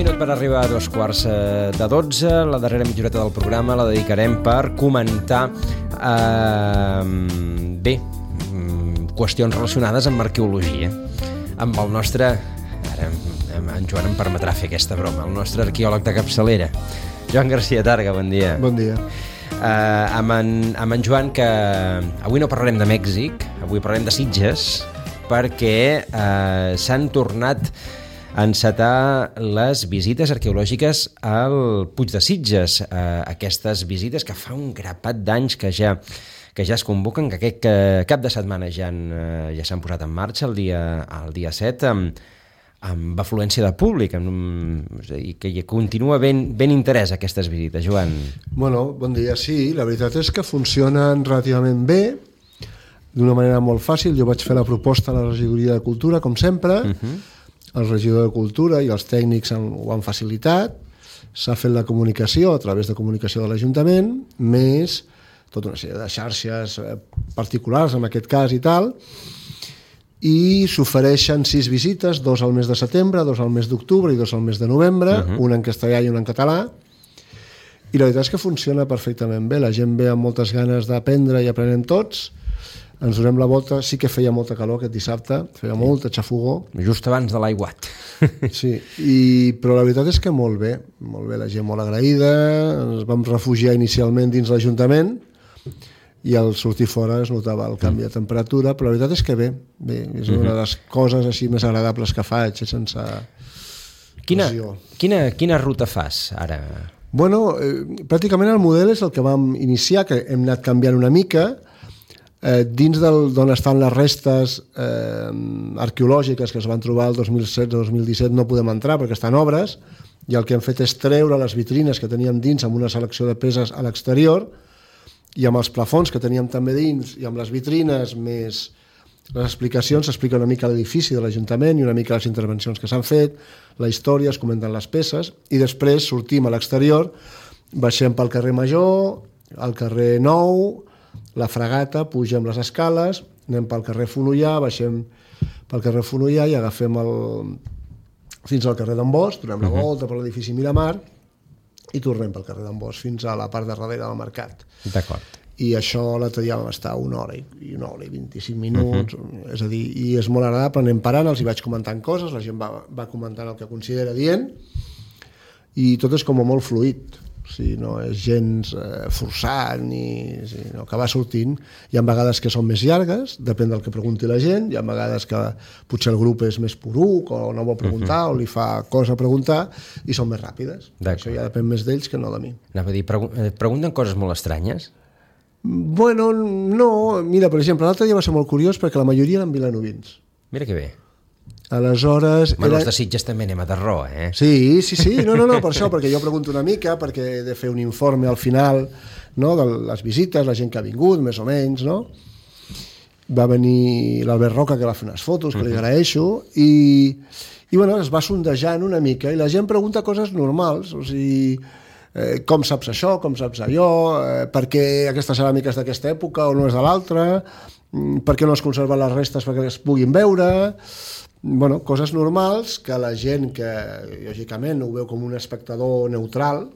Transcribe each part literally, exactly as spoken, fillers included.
minut per arribar a dos quarts de dotze. La darrera mitja horeta del programa la dedicarem per comentar eh, bé, qüestions relacionades amb arqueologia. Amb el nostre, ara en Joan em permetrà fer aquesta broma, el nostre arqueòleg de capçalera, Joan García Targa, bon dia. Bon dia. Uh, amb, en, amb en Joan, que avui no parlarem de Mèxic, avui parlarem de Sitges, perquè uh, s'han tornat a encetar les visites arqueològiques al Puig de Sitges. Uh, aquestes visites que fa un grapat d'anys que ja, que ja es convoquen, que aquest que cap de setmana ja, han, uh, ja s'han posat en marxa el dia, el dia set, amb, amb afluència de públic, amb, i que hi continua ben, ben interès aquestes visites. Joan. Bueno, bon dia. Sí, la veritat és que funcionen relativament bé, d'una manera molt fàcil. Jo vaig fer la proposta a la regidoria de Cultura, com sempre. Uh-huh. El regidor de Cultura i els tècnics han, ho han facilitat. S'ha fet la comunicació a través de comunicació de l'Ajuntament, més tota una sèrie de xarxes particulars, en aquest cas, i tal. I s'ofereixen sis visites, dos al mes de setembre, dos al mes d'octubre i dos al mes de novembre, uh-huh. una en castellà i una en català. I la veritat és que funciona perfectament bé. La gent ve amb moltes ganes d'aprendre i aprenem tots. Ens donem la volta. Sí que feia molta calor aquest dissabte, feia sí. molta xafogó. Just abans de l'aiguat. Sí, i, però la veritat és que molt bé, molt bé, la gent molt agraïda. Ens vam refugiar inicialment dins l'Ajuntament i al sortir fora es notava el canvi de temperatura, però la veritat és que bé, bé és una de les coses així més agradables que faig, sense quina, quina, quina ruta fas ara? Bueno, eh, pràcticament el model és el que vam iniciar, que hem anat canviant una mica. Eh, dins d'on estan les restes eh, arqueològiques que es van trobar el dos mil setze dos mil disset no podem entrar perquè estan obres, i el que hem fet és treure les vitrines que teníem dins amb una selecció de peces a l'exterior, i amb els plafons que teníem també dins i amb les vitrines més les explicacions, s'explica una mica l'edifici de l'Ajuntament i una mica les intervencions que s'han fet, la història, es comenten les peces, i després sortim a l'exterior, baixem pel carrer Major, al carrer Nou, la Fragata, pugem les escales, anem pel carrer Fonollar, baixem pel carrer Fonollar i agafem el fins al carrer d'en Bosch, donem la volta per l'edifici Miramar i tornem pel carrer d'en Bosch fins a la part de darrere del mercat. D'acord. I això l'altre dia vam estar una hora i una hora i vint-i-cinc minuts, uh-huh. és a dir, i és molt agradable, anem parant, els hi vaig comentant coses, la gent va, va comentant el que considera dient, i tot és com molt fluid. O sigui, no és gens eh, forçat, ni, sinó que va sortint. Hi ha vegades que són més llargues, depèn del que pregunti la gent, hi ha vegades que potser el grup és més poruc o no vol preguntar, uh-huh. o li fa cosa a preguntar, i són més ràpides. Això ja depèn més d'ells que no de mi. Anava a dir, pregu- pregunten coses molt estranyes? Bueno, no. Mira, per exemple, l'altre dia va ser molt curiós perquè la majoria eren vilanovins. Mira que bé. Aleshores... Bueno, era... els de Sitges també anem a terror, eh? Sí, sí, sí, no, no, no, per això, perquè jo pregunto una mica, perquè he de fer un informe al final, no?, de les visites, la gent que ha vingut, més o menys, no? Va venir l'Albert Roca, que va fer unes fotos, que li agraeixo, i, i bueno, es va sondejant una mica, i la gent pregunta coses normals, o sigui, eh, com saps això, com saps allò, eh, per què aquesta ceràmica és d'aquesta època o no és de l'altra, per què no es conserven les restes perquè es puguin veure... Bueno, coses normals que la gent que, lògicament, ho veu com un espectador neutral,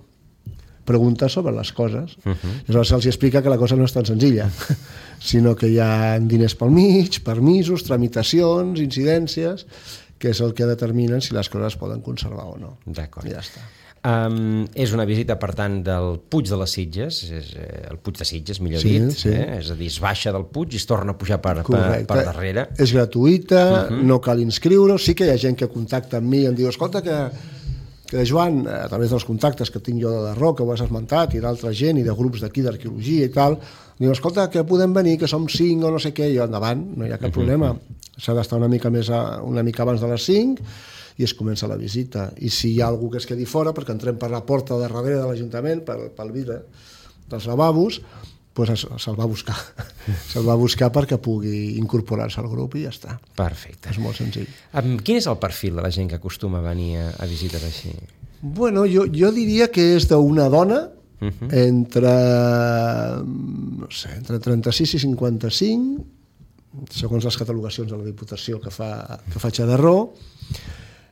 pregunta sobre les coses. Uh-huh. Llavors se'ls explica que la cosa no és tan senzilla, sinó que hi ha diners pel mig, permisos, tramitacions, incidències, que és el que determinen si les coses es poden conservar o no. D'acord. I ja està. Um, és una visita, per tant, del Puig de les Sitges, és, eh, el Puig de Sitges, millor sí, dit, sí. Eh? És a dir, es baixa del Puig i es torna a pujar per, per, per darrere. És gratuïta, uh-huh. no cal inscriure, sí que hi ha gent que contacta amb mi i em diu, escolta, que, que Joan, a través dels contactes que tinc jo de Darró, que ho has esmentat, i d'altra gent, i de grups d'aquí d'arqueologia i tal, diu, escolta, que podem venir, que som cinc o no sé què, i jo, endavant, no hi ha cap uh-huh. problema. S'ha d'estar una mica més a, una mica abans de les cinc, i es comença la visita. I si hi ha algú que es quedi fora, perquè entrem per la porta de darrere de l'Ajuntament, pel, pel vidre dels lavabos, doncs se'l va buscar. Se'l va buscar perquè pugui incorporar-se al grup i ja està. Perfecte. És molt senzill. Um, quin és el perfil de la gent que acostuma a venir a, a visites així? Bueno, jo, jo diria que és d'una dona uh-huh. entre, no sé, entre trenta-sis i cinquanta-cinc, segons les catalogacions de la Diputació que fa, que faig a Darró.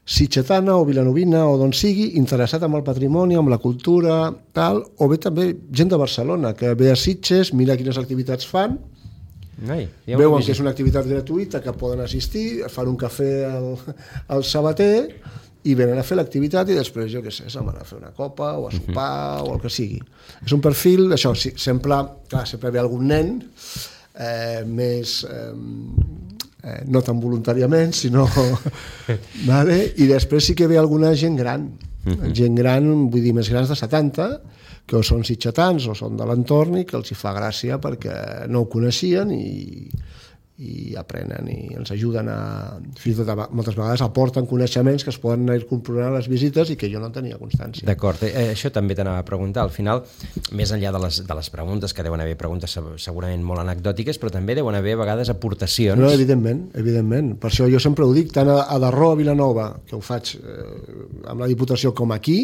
sitgetana o vilanovina o d'on sigui, interessat en el patrimoni, amb la cultura, tal, o bé també gent de Barcelona, que ve a Sitges, mira quines activitats fan, Ai, veuen que és una activitat gratuïta, que poden assistir, fan un cafè al, al sabater i venen a fer l'activitat i després, jo què sé, se'n van a fer una copa o a sopar uh-huh. o el que sigui. És un perfil, això, sí, sempre, clar, sempre ve algun nen eh, més... Eh, eh, no tan voluntàriament, sinó... vale? I després sí que ve alguna gent gran, uh-huh. gent gran, vull dir, més grans de setanta, que o són sitgetans o són de l'entorn i que els hi fa gràcia perquè no ho coneixien i, i aprenen i ens ajuden a... Fins i tot moltes vegades aporten coneixements que es poden anar incorporant a les visites i que jo no tenia constància. D'acord, eh, això també t'anava a preguntar. Al final, més enllà de les, de les preguntes, que deuen haver preguntes segurament molt anecdòtiques, però també deuen haver a vegades aportacions. No, evidentment, evidentment. Per això jo sempre ho dic, tant a, a Darró, a Vilanova, que ho faig eh, amb la Diputació com aquí,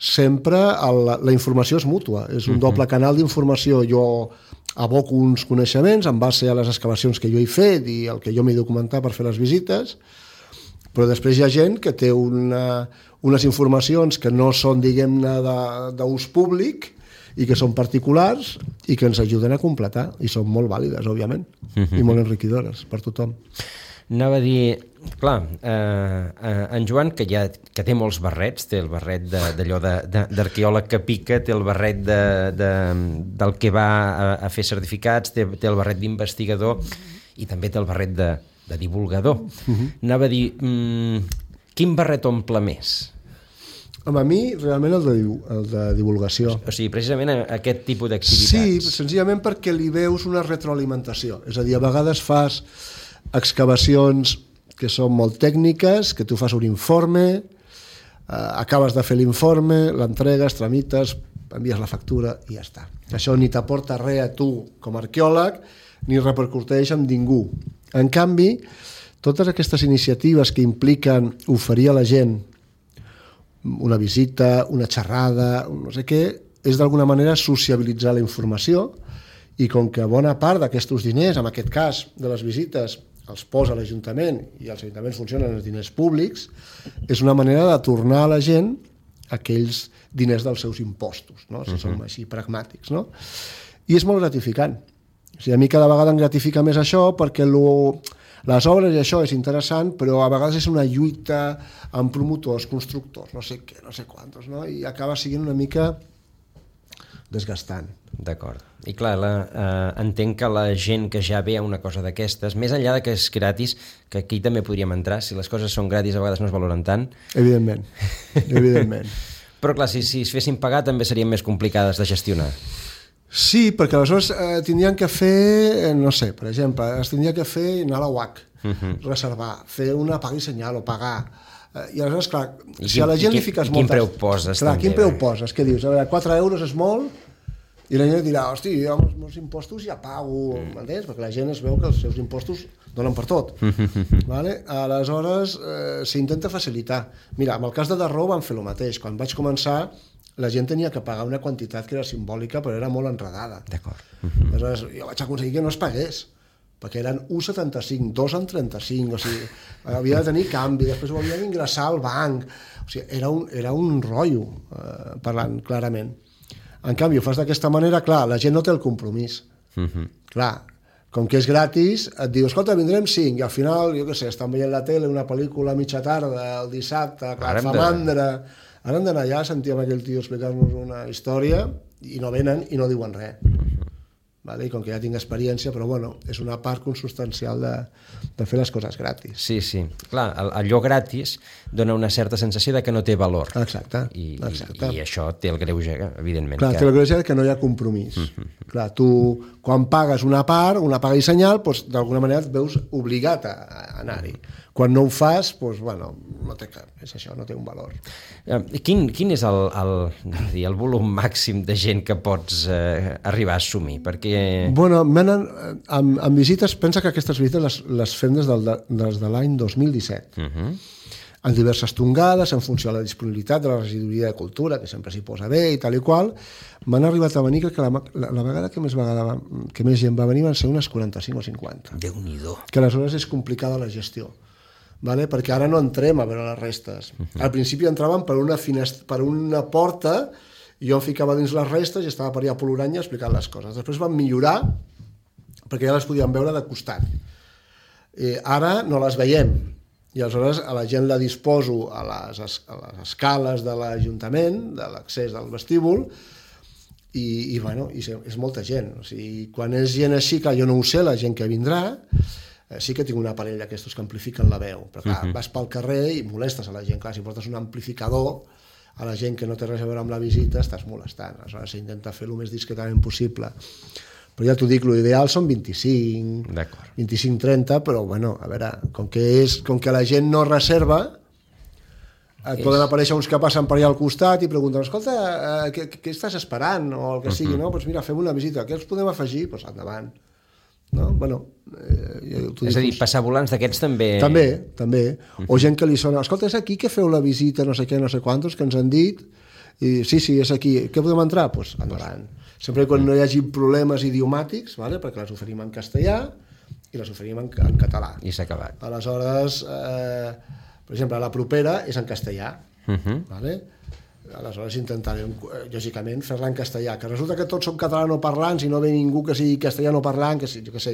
sempre el, la informació és mútua, és un uh-huh. doble canal d'informació. Jo aboco uns coneixements en base a les excavacions que jo he fet i el que jo m'he documentat per fer les visites, però després hi ha gent que té una, unes informacions que no són, diguem-ne, d'ús públic i que són particulars i que ens ajuden a completar, i són molt vàlides, òbviament, uh-huh. i molt enriquidores per tothom. Anava a dir, clar, eh, en Joan, que, ja, que té molts barrets, té el barret d'allò d'arqueòleg que pica, té el barret de, de, del que va a, a fer certificats, té, té el barret d'investigador i també té el barret de, de divulgador. Uh-huh. Anava a dir, mm, quin barret omple més? Home, a mi, realment, el de, el de divulgació. O sigui, precisament aquest tipus d'activitats. Sí, senzillament perquè li veus una retroalimentació. És a dir, a vegades fas excavacions que són molt tècniques, que tu fas un informe, eh, acabes de fer l'informe, l'entregues, tramites, envies la factura i ja està. Això ni t'aporta res a tu com a arqueòleg, ni repercuteix amb ningú. En canvi, totes aquestes iniciatives que impliquen oferir a la gent una visita, una xerrada, no sé què, és d'alguna manera sociabilitzar la informació, i com que bona part d'aquests diners, en aquest cas de les visites, els posa l'Ajuntament i els ajuntaments funcionen els diners públics, és una manera de tornar a la gent aquells diners dels seus impostos, no? Si uh-huh. som així pragmàtics, no? I és molt gratificant. O sigui, a mi cada vegada em gratifica més això perquè lo, les obres i això és interessant, però a vegades és una lluita amb promotors, constructors, no sé què, no sé quantos, no? I acaba sent una mica desgastant. D'acord. I clar, la, eh, entenc que la gent que ja ve a una cosa d'aquestes, més enllà de que és gratis, que aquí també podríem entrar, si les coses són gratis a vegades no es valoren tant. Evidentment, evidentment. Però clar, si, si es fessin pagar també serien més complicades de gestionar. Sí, perquè aleshores eh, tindrien que fer, eh, no sé, per exemple, es tindria que fer anar a la U A C, uh-huh. reservar, fer una paga i senyal o pagar. Eh, I aleshores, clar, I si quin, a la gent li fiques moltes... Quin preu poses? Clar, també, quin preu poses? Què dius? A veure, quatre euros és molt... I la gent dirà, hosti, jo amb els meus impostos ja pago, mm. m'entens? Perquè la gent es veu que els seus impostos donen per tot. Vale? Aleshores, eh, s'intenta facilitar. Mira, en el cas de Darró van fer el mateix. Quan vaig començar, la gent tenia que pagar una quantitat que era simbòlica, però era molt enredada. D'acord. Aleshores, jo vaig aconseguir que no es pagués, perquè eren u coma setanta-cinc, dos coma trenta-cinc, o sigui, havia de tenir canvi, després ho havia d'ingressar al banc. O sigui, era un, era un rotllo, eh, parlant clarament. En canvi, ho fas d'aquesta manera, clar, la gent no té el compromís. Uh-huh. Clar, com que és gratis, et diu, escolta, vindrem cinc, i al final, jo què sé, estan veient la tele, una pel·lícula a mitja tarda, el dissabte, clar, fa mandra. Ara hem d'anar allà, sentíem aquell tio explicar-nos una història, i no venen i no diuen res. Uh-huh. Vale? I com que ja tinc experiència, però bueno, és una part consubstancial de, de fer les coses gratis. Sí, sí. Clar, allò gratis dona una certa sensació de que no té valor. Exacte. I, exacte. i, i això té el greuge, evidentment. Clar, que... té el greuge que no hi ha compromís. Uh-huh. Clar, tu, quan pagues una part, una paga i senyal, doncs, d'alguna manera et veus obligat a, a anar-hi. Quan no ho fas, doncs, bueno, no té cap, és això, no té un valor. Quin, quin és el, el, el volum màxim de gent que pots eh, arribar a assumir? Perquè... Bueno, menen, amb, amb visites, pensa que aquestes visites les, les fem des, del, des de l'any dos mil disset. Uh-huh. En diverses tongades, en funció de la disponibilitat de la regidoria de cultura, que sempre s'hi posa bé i tal i qual, m'han arribat a venir, crec que la, la, la vegada que més, vegada, que més gent va venir van ser unes quaranta-cinc o cinquanta. Déu-n'hi-do. Que aleshores és complicada la gestió. vale? Perquè ara no entrem a veure les restes. Uh-huh. Al principi entraven per una, finest... per una porta i jo em ficava dins les restes i estava per allà a Poloranya explicant les coses. Després van millorar perquè ja les podíem veure de costat. Eh, ara no les veiem i aleshores a la gent la disposo a les, a les escales de l'Ajuntament, de l'accés del vestíbul, i, i, bueno, i és molta gent. O sigui, quan és gent així, clar, jo no ho sé, la gent que vindrà, eh, sí que tinc un aparell d'aquestos que amplifiquen la veu, però clar, uh-huh. vas pel carrer i molestes a la gent. Clar, si portes un amplificador, a la gent que no té res a veure amb la visita estàs molestant. Aleshores s'intenta fer el més discretament possible. Però ja t'ho dic, l'ideal són vint-i-cinc, vint-i-cinc trenta, però bueno, a veure, com que, és, com que la gent no reserva, et és... poden aparèixer uns que passen per allà al costat i pregunten, escolta, eh, què, què estàs esperant? O el que sigui, uh-huh. no? Doncs mira, fem una visita, què us podem afegir? Doncs endavant. No? Bueno, eh, ja és a dir, passar volants d'aquests també... També, també. Uh-huh. O gent que li sona, escolta, és aquí que feu la visita, no sé què, no sé quantos, que ens han dit, i sí, sí, és aquí, què podem entrar? Doncs pues, endavant. Sempre quan no hi hagi problemes idiomàtics, vale? Perquè les oferim en castellà i les oferim en, en català. I s'ha acabat. Aleshores, eh, per exemple, la propera és en castellà, uh-huh. vale? Aleshores intentarem, lògicament, fer-la en castellà. Que resulta que tots som catalanoparlants i no ve ningú que sigui castellanoparlant, que, jo que sé,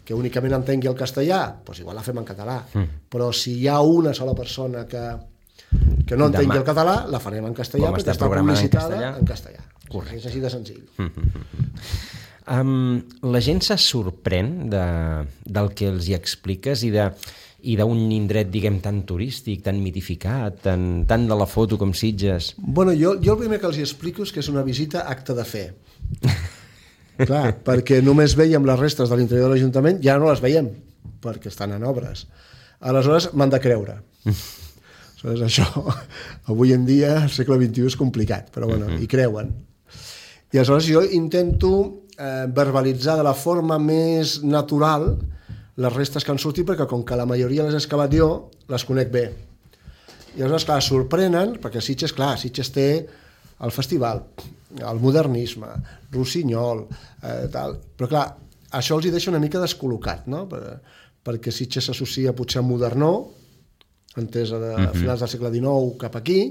que únicament entengui el castellà, doncs igual la fem en català. Mm. Però si hi ha una sola persona que, que no entengui Demà. el català, la farem en castellà, com perquè està publicitada en castellà. Correcte. És així de senzill. um, la gent se sorprèn de, del que els hi expliques i de... i d'un indret, diguem, tan turístic, tan mitificat, tan, tan de la foto com Sitges? Bueno, jo, jo el primer que els explico és que és una visita acte de fe. Clar, perquè només veiem les restes de l'interior de l'Ajuntament, ja no les veiem, perquè estan en obres. Aleshores, m'han de creure. Aleshores, això, avui en dia, al segle vint-i-u és complicat, però bueno, uh-huh. hi creuen. I aleshores jo intento eh, verbalitzar de la forma més natural les restes que han sortit, perquè com que la majoria les he excavat jo, les conec bé. I aleshores, clar, sorprenen, perquè Sitges, clar, Sitges té el festival, el modernisme, Rossinyol, eh, tal, però clar, això els hi deixa una mica descol·locat, no? Per, perquè Sitges s'associa potser a modernó, entesa de uh-huh. finals del segle dinou cap aquí,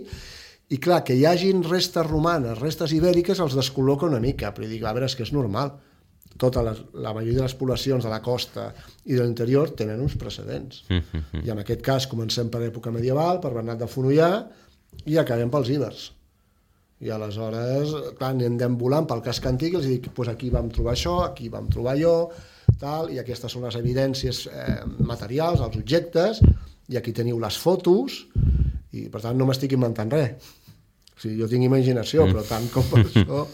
i clar, que hi hagin restes romanes, restes ibèriques, els descol·loca una mica, però dic, a veure, és que és normal. Tota la, la majoria de les poblacions de la costa i de l'interior tenen uns precedents. Mm-hmm. I en aquest cas comencem per època medieval, per Bernat de Fonollà, i acabem pels ibers. I aleshores, clar, anem volant pel casc antic i els dic, pues aquí vam trobar això, aquí vam trobar allò, tal, i aquestes són les evidències eh, materials, els objectes, i aquí teniu les fotos, i per tant no m'estic inventant res. O sigui, jo tinc imaginació, mm. però tant com per això...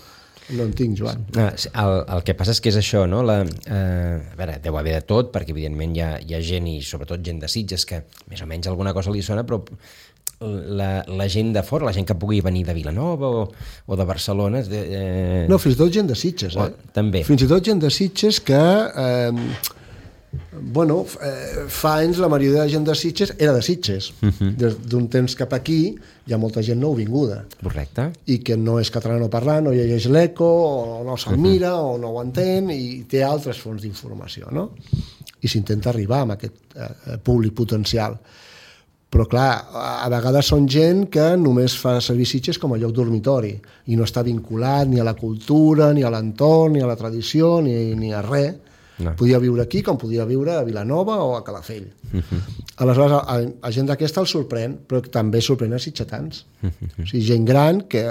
No en tinc, Joan. El, el que passa és que és això, no? La, eh, a veure, deu haver de tot, perquè evidentment hi ha, hi ha gent, i sobretot gent de Sitges, que més o menys alguna cosa li sona, però la, la gent de fora, la gent que pugui venir de Vilanova o, o de Barcelona... Eh... No, fins i tot gent de Sitges, eh? O, també. Fins i tot gent de Sitges que... Eh, bueno, eh, fa anys la majoria de gent de Sitges era de Sitges. Uh-huh. Des d'un temps cap aquí hi ha molta gent nouvinguda. Correcte. I que no és catalanoparlant, no llegeix l'eco, o no se'l mira, uh-huh. o no ho entén, i té altres fonts d'informació, no? I s'intenta arribar amb aquest eh, públic potencial. Però clar, a vegades són gent que només fa servir Sitges com a lloc dormitori i no està vinculat ni a la cultura, ni a l'entorn, ni a la tradició, ni, ni a res. No. Podia viure aquí com podia viure a Vilanova o a Calafell. Uh-huh. Aleshores, a, a gent d'aquesta el sorprèn, però també sorprèn a sitgetans. Uh-huh. O sigui, gent gran que,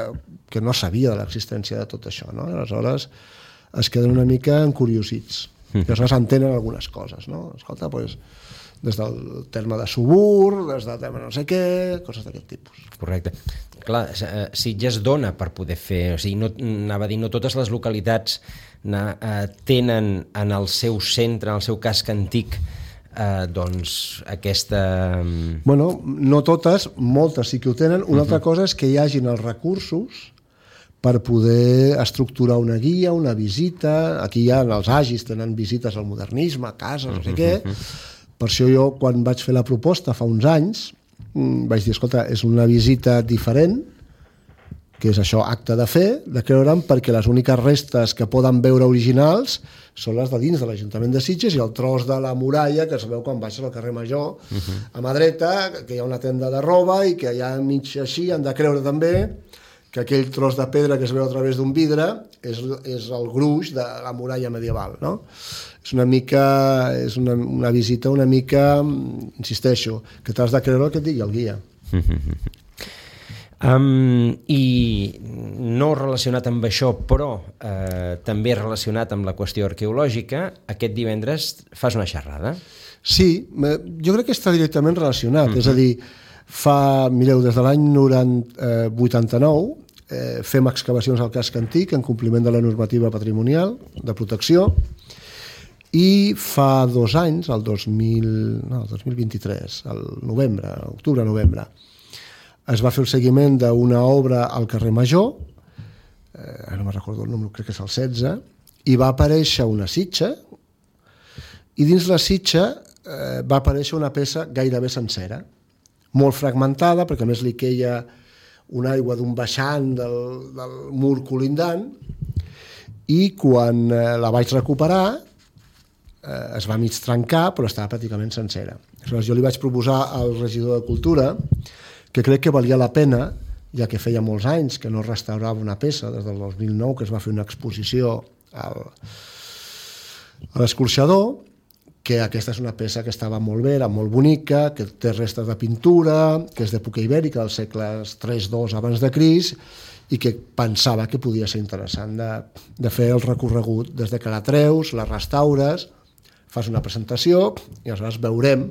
que no sabia de l'existència de tot això, no? Aleshores es queden una mica encuriosits. Uh-huh. I aleshores entenen algunes coses, no? Escolta, doncs, des del terme de subur, des del terme no sé què, coses d'aquest tipus. Correcte. Clar, Sitges dona per poder fer... O sigui, no, anava a dir, no totes les localitats na, eh, tenen en el seu centre, en el seu casc antic, eh, doncs aquesta... Bueno, no totes, moltes sí que ho tenen. Una uh-huh. altra cosa és que hi hagin els recursos per poder estructurar una guia, una visita. Aquí hi ha els agis, tenen visites al modernisme, a cases, no sé uh-huh. què. Per això jo, quan vaig fer la proposta fa uns anys, vaig dir, escolta, és una visita diferent, que és això, acte de fe, de creure'm, perquè les úniques restes que poden veure originals són les de dins de l'Ajuntament de Sitges i el tros de la muralla que es veu quan baixes al carrer Major, uh-huh. a mà dreta, que hi ha una tenda de roba i que allà mig així han de creure també que aquell tros de pedra que es veu a través d'un vidre és, és el gruix de la muralla medieval, no? És una mica, és una, una visita una mica, insisteixo, que t'has de creure el que et digui el guia. Uh-huh. Um, I no relacionat amb això, però eh, també relacionat amb la qüestió arqueològica, aquest divendres fas una xerrada. Sí, jo crec que està directament relacionat, uh-huh. és a dir, fa, mireu, des de l'any vuitanta-nou eh, fem excavacions al casc antic en compliment de la normativa patrimonial de protecció i fa dos anys, el dos mil, no, el dos mil vint-i-tres, el novembre, octubre-novembre, es va fer el seguiment d'una obra al carrer Major, eh, no me'n recordo el número, crec que és el setze, i va aparèixer una sitja, i dins la sitja eh, va aparèixer una peça gairebé sencera, molt fragmentada, perquè a més li queia una aigua d'un baixant del, del mur colindant, i quan eh, la vaig recuperar eh, es va mig trencar, però estava pràcticament sencera. Aleshores, jo li vaig proposar al regidor de Cultura que crec que valia la pena, ja que feia molts anys que no restaurava una peça, des del dos mil nou que es va fer una exposició al, a l'Escorxador, que aquesta és una peça que estava molt bé, era molt bonica, que té restes de pintura, que és d'època ibèrica, dels segles tres dos abans de Crist, i que pensava que podia ser interessant de, de fer el recorregut des de que la treus, la restaures, fas una presentació i aleshores veurem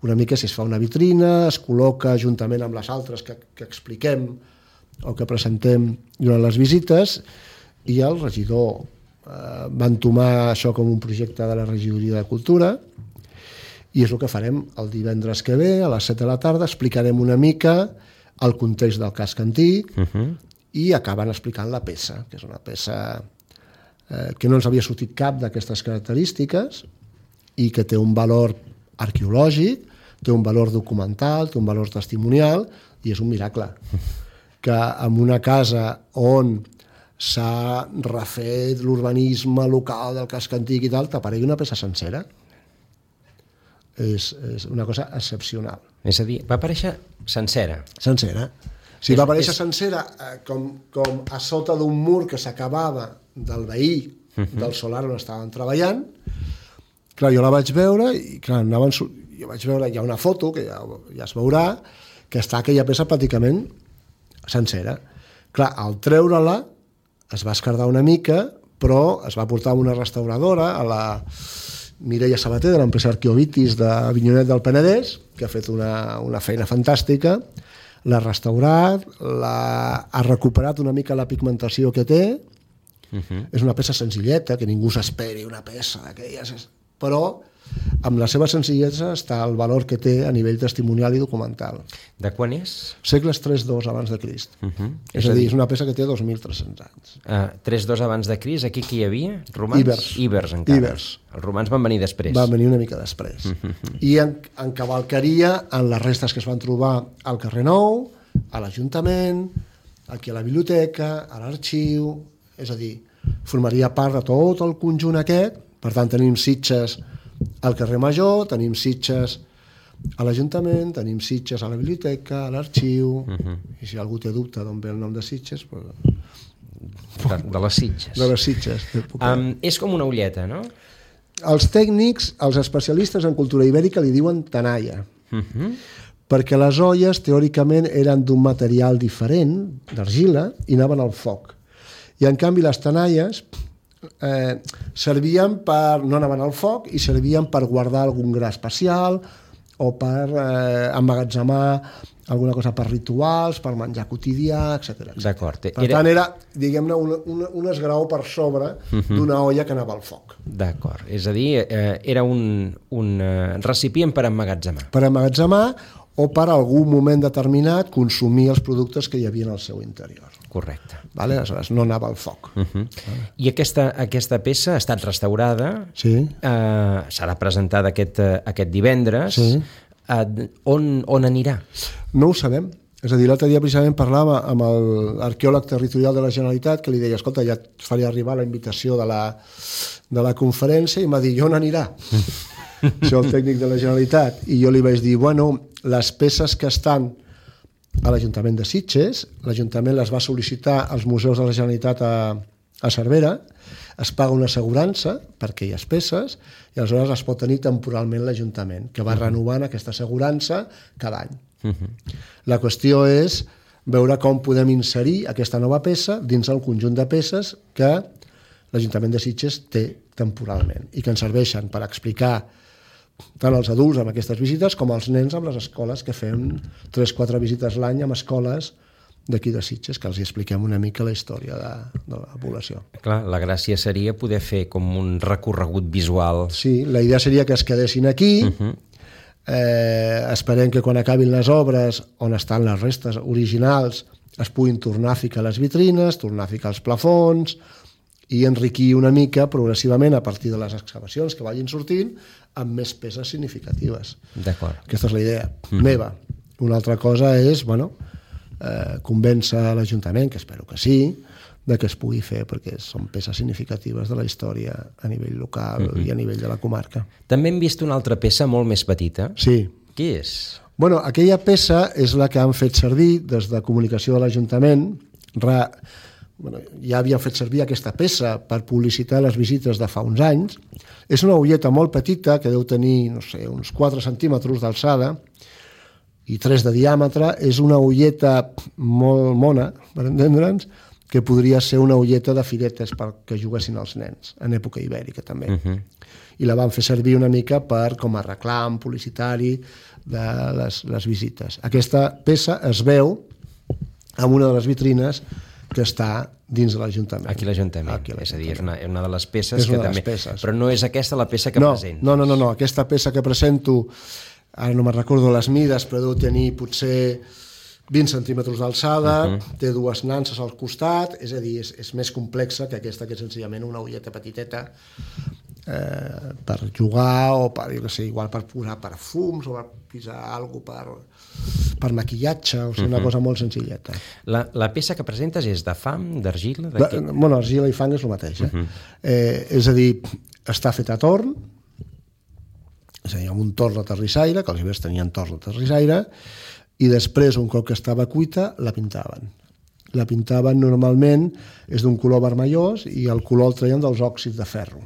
una mica si es fa una vitrina, es col·loca juntament amb les altres que, que expliquem o que presentem durant les visites, i el regidor eh, va entomar això com un projecte de la regidoria de Cultura, i és el que farem el divendres que ve, a les set de la tarda, explicarem una mica el context del casc antic, uh-huh. i acaben explicant la peça, que és una peça eh, que no ens havia sortit cap d'aquestes característiques i que té un valor arqueològic, té un valor documental, té un valor testimonial, i és un miracle que en una casa on s'ha refet l'urbanisme local del casc antic i tal, t'aparegui una peça sencera. És, és una cosa excepcional. És a dir, va aparèixer sencera. Sencera. Si va aparèixer és... sencera eh, com, com a sota d'un mur que s'acabava del veí uh-huh. del solar on estaven treballant. Clar, jo la vaig veure i clar, anaven, jo vaig veure, hi ha una foto que ja, ja es veurà, que està aquella peça pràcticament sencera. Clar, al treure-la es va escardar una mica, però es va portar a una restauradora, a la Mireia Sabater, de l'empresa Arqueovitis de Avinyonet del Penedès, que ha fet una, una feina fantàstica, l'ha restaurat, l'ha, ha recuperat una mica la pigmentació que té, uh-huh. és una peça senzilleta, que ningú s'esperi una peça d'aquelles, però amb la seva senzillesa està el valor que té a nivell testimonial i documental. De quan és? Segles tres dos abans de Crist. Uh-huh. És, és a dir, és una peça que té dos mil tres-cents anys. Uh, tres dos abans de Crist, aquí qui hi havia? Romans? Ibers. Ibers, encara. Ibers. Els romans van venir després. Van venir una mica després. Uh-huh. I en, en cavalcaria en les restes que es van trobar al carrer Nou, a l'Ajuntament, aquí a la biblioteca, a l'arxiu, és a dir, formaria part de tot el conjunt aquest. Per tant, tenim Sitges al carrer Major, tenim Sitges a l'Ajuntament, tenim Sitges a la biblioteca, a l'arxiu, uh-huh. i si algú té dubte d'on ve el nom de Sitges... Pues... De, de les Sitges. De les Sitges. Um, és com una ulleta, no? Els tècnics, els especialistes en cultura ibèrica li diuen tanaia, uh-huh. perquè les olles teòricament eren d'un material diferent, d'argila, i anaven al foc. I en canvi les tanaies eh, servien per, no anaven al foc, i servien per guardar algun gra especial o per eh, emmagatzemar alguna cosa per rituals, per menjar quotidià, etcètera. D'acord. Per era... tant, era, diguem-ne, un, un, un esgraó per sobre uh-huh. d'una olla que anava al foc. D'acord. És a dir, eh, era un, un eh, recipient per emmagatzemar. Per emmagatzemar o per algun moment determinat consumir els productes que hi havia en el seu interior. Correcte. Vale? Aleshores, no anava al foc. Uh-huh. Vale. I aquesta, aquesta peça ha estat restaurada, sí. eh, serà presentada aquest, aquest divendres. Sí. Uh, on, on anirà? No ho sabem. És a dir, l'altre dia precisament parlava amb l'arqueòleg territorial de la Generalitat que li deia, escolta, ja et faria arribar la invitació de la, de la conferència i m'ha dit, on anirà? Això el tècnic de la Generalitat. I jo li vaig dir, bueno, les peces que estan a l'Ajuntament de Sitges, l'Ajuntament les va sol·licitar als museus de la Generalitat a, a Cervera, es paga una assegurança per aquelles peces i aleshores es pot tenir temporalment l'Ajuntament, que va uh-huh. renovant aquesta assegurança cada any. Uh-huh. La qüestió és veure com podem inserir aquesta nova peça dins el conjunt de peces que l'Ajuntament de Sitges té temporalment i que ens serveixen per explicar tant als adults amb aquestes visites com als nens amb les escoles, que fem tres o quatre visites l'any amb escoles d'aquí de Sitges, que els expliquem una mica la història de, de la població. Clar, la gràcia seria poder fer com un recorregut visual. Sí, la idea seria que es quedessin aquí, uh-huh. eh, esperem que quan acabin les obres on estan les restes originals es puguin tornar a ficar les vitrines, tornar a ficar els plafons i enriquir una mica progressivament a partir de les excavacions que vagin sortint amb més peces significatives. D'acord. Aquesta és la idea mm. meva. Una altra cosa és, bueno, eh, convèncer l'Ajuntament, que espero que sí, de que es pugui fer, perquè són peces significatives de la història a nivell local mm-hmm. i a nivell de la comarca. També hem vist una altra peça molt més petita. Sí. Què és? Bueno, aquella peça és la que han fet servir des de comunicació de l'Ajuntament. Ra... Bueno, ja havien fet servir aquesta peça per publicitar les visites de fa uns anys. És una ulleta molt petita, que deu tenir, no sé, uns quatre centímetres d'alçada i tres de diàmetre. És una ulleta molt mona, per entendre'ns, que podria ser una ulleta de firetes perquè juguessin els nens, en època ibèrica també. Uh-huh. I la van fer servir una mica per com a reclam publicitari de les, les visites. Aquesta peça es veu en una de les vitrines que està dins de l'Ajuntament. Aquí l'Ajuntament, Aquí és a dir, és una, una de les peces és que una també... Peces. Però no és aquesta la peça que no, presenta. No, no, no, no, aquesta peça que presento, ara no me'n recordo les mides, però deu tenir potser vint centímetres d'alçada, uh-huh. té dues nanses al costat, és a dir, és, és més complexa que aquesta, que és senzillament una ulleta petiteta eh, per jugar o per, jo què sé, igual per posar perfums o per posar alguna cosa per... per maquillatge, o sigui, una uh-huh. cosa molt senzilleta. La, la peça que presentes és de fang, d'argila? De de, bueno, argila i fang és el mateix. Eh? Uh-huh. Eh, és a dir, està fet a torn, és a dir, amb un torn de terrissaire, que els ibers tenien torn de terrissaire, i després, un cop que estava cuita, la pintaven. La pintaven normalment, és d'un color vermellós, i el color el treien dels òxids de ferro.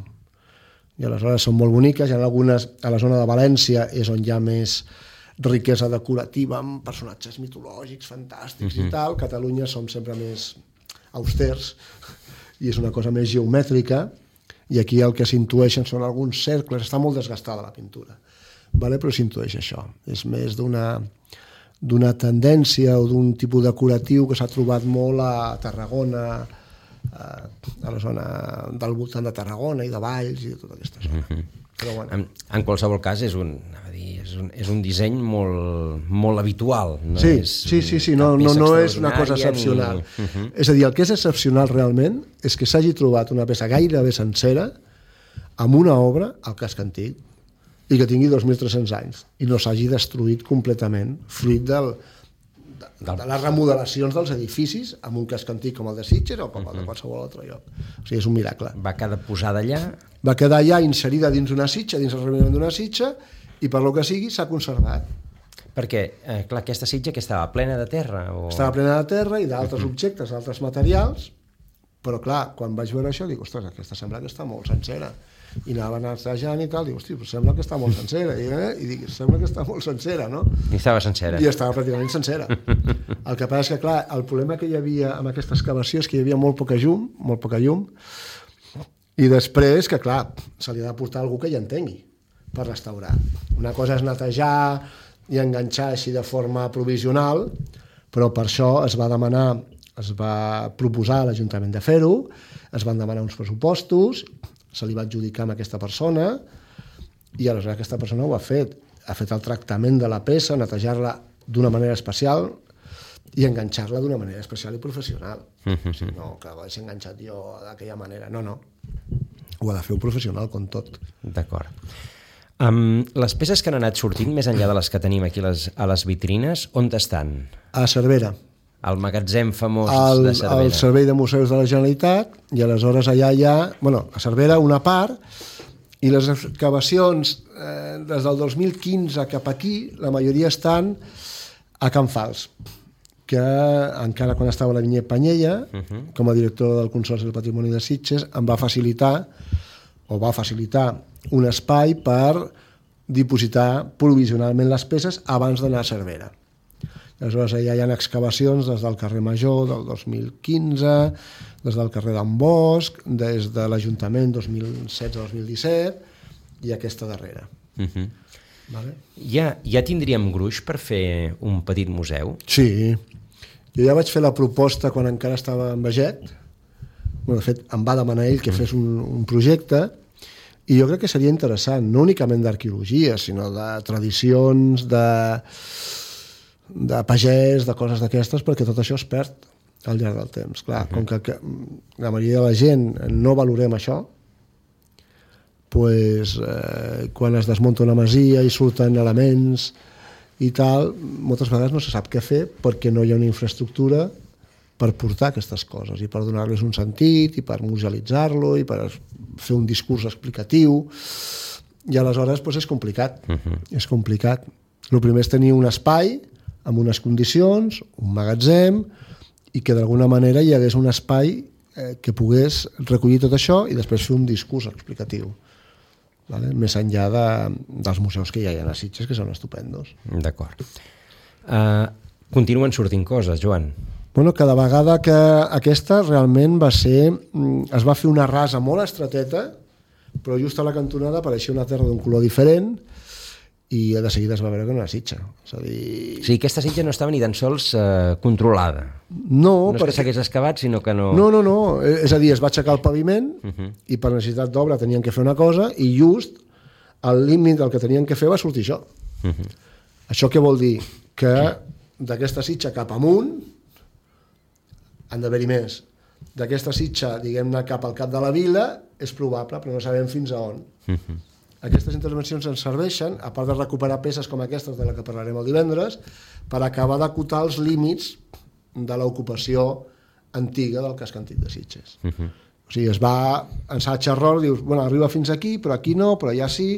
I aleshores són molt boniques, hi ha algunes, a la zona de València és on hi ha més riquesa decorativa amb personatges mitològics fantàstics uh-huh. i tal. Catalunya som sempre més austers i és una cosa més geomètrica i aquí el que s'intueixen són alguns cercles. Està molt desgastada la pintura, vale? Però s'intueix això. És més d'una d'una tendència o d'un tipus decoratiu que s'ha trobat molt a Tarragona, a, a la zona del voltant de Tarragona i de Valls i de tota aquesta zona. Uh-huh. Però bueno. En, en qualsevol cas és un, dir, és un, és un disseny molt, molt habitual. No sí, és sí, sí, sí, no, no, no és una cosa excepcional. Ni... Uh-huh. És a dir, el que és excepcional realment és que s'hagi trobat una peça gairebé sencera amb una obra al casc antic i que tingui dos mil tres-cents anys i no s'hagi destruït completament fruit del, de, de les remodelacions dels edificis amb un casc antic com el de Sitges o com el de qualsevol altre lloc. O sigui, és un miracle. Va quedar posada allà? Va quedar allà inserida dins una sitja, dins el reviment d'una sitja, i per lo que sigui s'ha conservat. Perquè, eh, clar, aquesta sitja que estava plena de terra? O... Estava plena de terra i d'altres uh-huh. objectes, d'altres materials, però clar, quan vaig veure això dic, ostres, aquesta sembla que està molt sencera. I anaven assajant i tal, dic, hosti, però sembla que està molt sencera. I, eh? I dic, sembla que està molt sencera, no? I estava sencera. I estava pràcticament sencera. El que passa és que, clar, el problema que hi havia amb aquesta excavació és que hi havia molt poca llum, molt poca llum, i després que, clar, se li ha de portar algú que hi entengui per restaurar. Una cosa és netejar i enganxar així de forma provisional, però per això es va demanar, es va proposar a l'Ajuntament de fer-ho, es van demanar uns pressupostos, se li va adjudicar a aquesta persona i aleshores aquesta persona ho ha fet. Ha fet el tractament de la peça, netejar-la d'una manera especial i enganxar-la d'una manera especial i professional. O sigui, no que ho hagi enganxat jo d'aquella manera, no, no. Ho ha de fer un professional, com tot. D'acord. Um, les peces que han anat sortint, més enllà de les que tenim aquí les, a les vitrines, on estan? A Cervera. Al magatzem famós al, de Cervera. Al Servei de Museus de la Generalitat, i aleshores allà hi ha, bueno, a Cervera una part, i les excavacions eh, des del dos mil quinze cap aquí, la majoria estan a Can Fals, que encara quan estava la Vinyet Panyella, uh-huh. com a director del Consorci del Patrimoni de Sitges, em va facilitar, o va facilitar, un espai per dipositar provisionalment les peces abans d'anar a Cervera. Aleshores, ja hi ha excavacions des del carrer Major del dos mil quinze, des del carrer d'en Bosch, des de l'Ajuntament dos mil setze dos mil disset i aquesta darrera. Uh-huh. Vale? Ja, ja tindríem gruix per fer un petit museu? Sí. Jo ja vaig fer la proposta quan encara estava en Beget. Bueno, de fet, em va demanar ell que fes un, un projecte, i jo crec que seria interessant, no únicament d'arqueologia, sinó de tradicions, de, de pagès, de coses d'aquestes, perquè tot això es perd al llarg del temps. Clar, com que, que la majoria de la gent no valorem això, pues, eh, quan es desmunta una masia i surten elements i tal, moltes vegades no se sap què fer perquè no hi ha una infraestructura per portar aquestes coses i per donar-les un sentit i per musealitzar-lo i per fer un discurs explicatiu, i aleshores doncs, és complicat. Uh-huh. És complicat. El primer és tenir un espai amb unes condicions, un magatzem, i que d'alguna manera hi hagués un espai eh, que pogués recollir tot això i després fer un discurs explicatiu. Vale? Més enllà de, dels museus que hi ha a Sitges, que són estupendos. D'acord. Uh, continuen sortint coses, Joan. Bueno, cada vegada que aquesta realment va ser... Es va fer una rasa molt estreteta, però just a la cantonada apareixia una terra d'un color diferent i de seguida es va veure que no era sitja. És a dir... O sigui, aquesta sitja no estava ni tan sols eh, controlada. No, no és perquè... que s'hagués excavat, sinó que no... No, no, no. És a dir, es va aixecar el paviment uh-huh. i per necessitat d'obra tenien que fer una cosa i just al límit del que tenien que fer va sortir això. Uh-huh. Això què vol dir? Que d'aquesta sitja cap amunt han d'haver-hi més. D'aquesta sitja, diguem-ne, cap al cap de la vila, és probable, però no sabem fins a on. Uh-huh. Aquestes intervencions ens serveixen, a part de recuperar peces com aquestes de la que parlarem el divendres, per acabar d'acotar els límits de l'ocupació antiga del casc antic de Sitges. Uh-huh. O sigui, es va ensaig-error, dius, bueno, arriba fins aquí, però aquí no, però allà sí,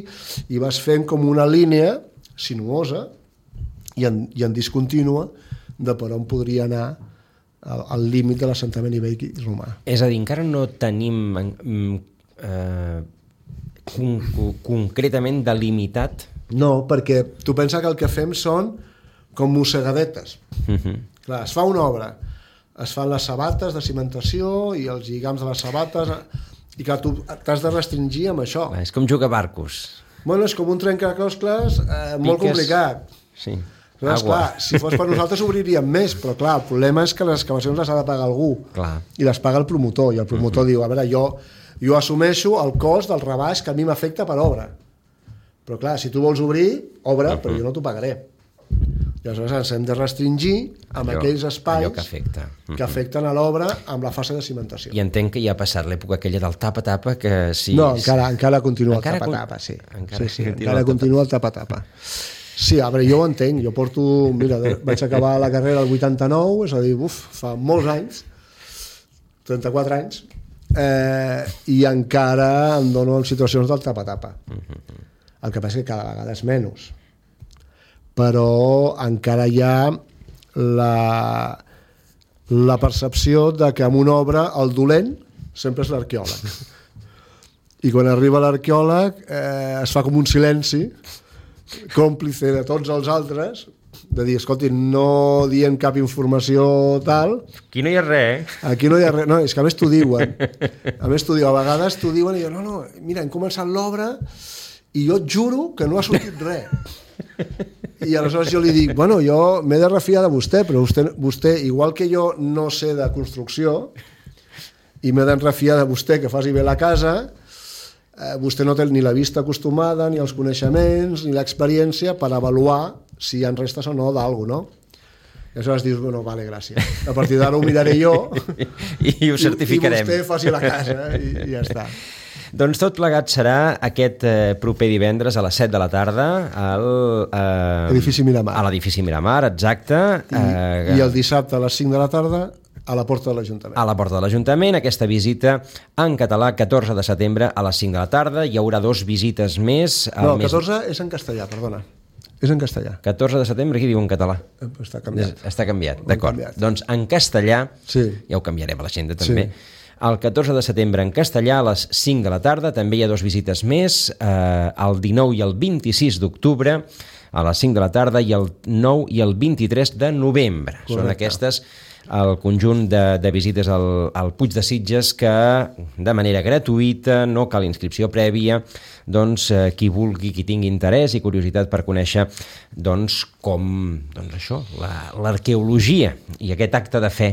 i vas fent com una línia sinuosa i en, i en discontínua de per on podria anar al límit de l'assentament ibèric i romà. És a dir, encara no tenim eh, con concretament delimitat? No, perquè tu pensa que el que fem són com mossegadetes. Uh-huh. Clar, es fa una obra, es fan les sabates de cimentació i els lligams de les sabates, i que tu t'has de restringir amb això. És com jugar a barcos. Bueno, és com un trencaclosques eh, molt complicat. Sí. Però, esclar, si fos per nosaltres obriríem més, però clar, el problema és que les excavacions les ha de pagar algú, clar. I les paga el promotor, i el promotor uh-huh. diu, a veure, jo, jo assumeixo el cost del rebaix que a mi m'afecta per obra, però clar, si tu vols obrir, obra, uh-huh. però jo no t'ho pagaré. I aleshores ens hem de restringir amb allò, aquells espais que, afecta. Uh-huh. que afecten a l'obra amb la fase de cimentació. I entenc que ja ha passat l'època aquella del tapa-tapa, que sí... No, encara, encara continua encara el tapa-tapa, sí. Encara, sí, sí, encara el continua el tapa-tapa. Sí, a veure, jo ho entenc, jo porto, mira, vaig acabar la carrera el vuitanta-nou, és a dir, uf, fa molts anys, trenta-quatre anys, eh, i encara em dono en situacions del tapa-tapa. El que passa és que cada vegada és menys, però encara hi ha la, la percepció de que en una obra el dolent sempre és l'arqueòleg. I quan arriba l'arqueòleg eh, es fa com un silenci còmplice de tots els altres, de dir, escolti, no dient cap informació tal... Aquí no hi ha res, eh? Aquí no hi ha res, no, és que a més t'ho diuen. A més t'ho diuen, a vegades t'ho diuen i diuen, no, no, mira, hem començat l'obra i jo et juro que no ha sortit res. I aleshores jo li dic, bueno, jo m'he de refiar de vostè, però vostè, vostè, igual que jo no sé de construcció i m'he de refiar de vostè que faci bé la casa... Eh, vostè no té ni la vista acostumada, ni els coneixements, ni l'experiència per avaluar si hi ha restes o no d'algú, no? I aleshores dius, bueno, vale, gràcies. A partir d'ara ho miraré jo i ho certificarem. I, i vostè faci la casa i, i ja està. Doncs tot plegat serà aquest eh, proper divendres a les set de la tarda al... Eh, Edifici Miramar. A l'edifici Miramar, exacte. I, eh, I el dissabte a les cinc de la tarda a la porta de l'Ajuntament. A la porta de l'Ajuntament, aquesta visita en català, catorze de setembre a les cinc de la tarda. Hi haurà dos visites més. No, el catorze mes... és en castellà, perdona. És en castellà. catorze de setembre, qui diu en català? Està canviat. Està canviat, d'acord. Doncs en castellà, sí. Ja ho canviarem a l'agenda també, sí. El catorze de setembre en castellà a les cinc de la tarda, també hi ha dos visites més, eh, el dinou i el vint-i-sis d'octubre a les cinc de la tarda i el nou i el vint-i-tres de novembre. Correcte. Són aquestes el conjunt de, de visites al, al Puig de Sitges que de manera gratuïta, no cal inscripció prèvia, doncs eh, qui vulgui, qui tingui interès i curiositat per conèixer doncs com, doncs això, la, l'arqueologia i aquest acte de fe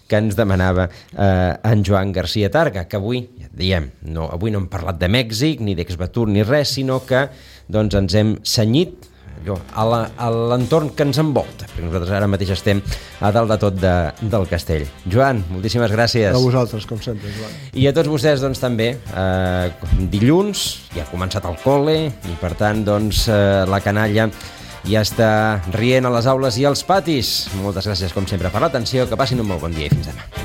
que ens demanava eh, en Joan Garcia Targa, que avui, ja et diem, no, avui no hem parlat de Mèxic, ni d'Exvatur, ni res, sinó que doncs, ens hem cenyit allò, a l'entorn que ens envolta, perquè nosaltres ara mateix estem a dalt de tot de, del castell. Joan, moltíssimes gràcies. A vosaltres, com sempre, Joan. I a tots vostès, doncs, també, eh, dilluns, ja ha començat el col·le, i per tant, doncs, eh, la canalla ja està rient a les aules i als patis. Moltes gràcies, com sempre, per l'atenció, que passin un molt bon dia i fins demà.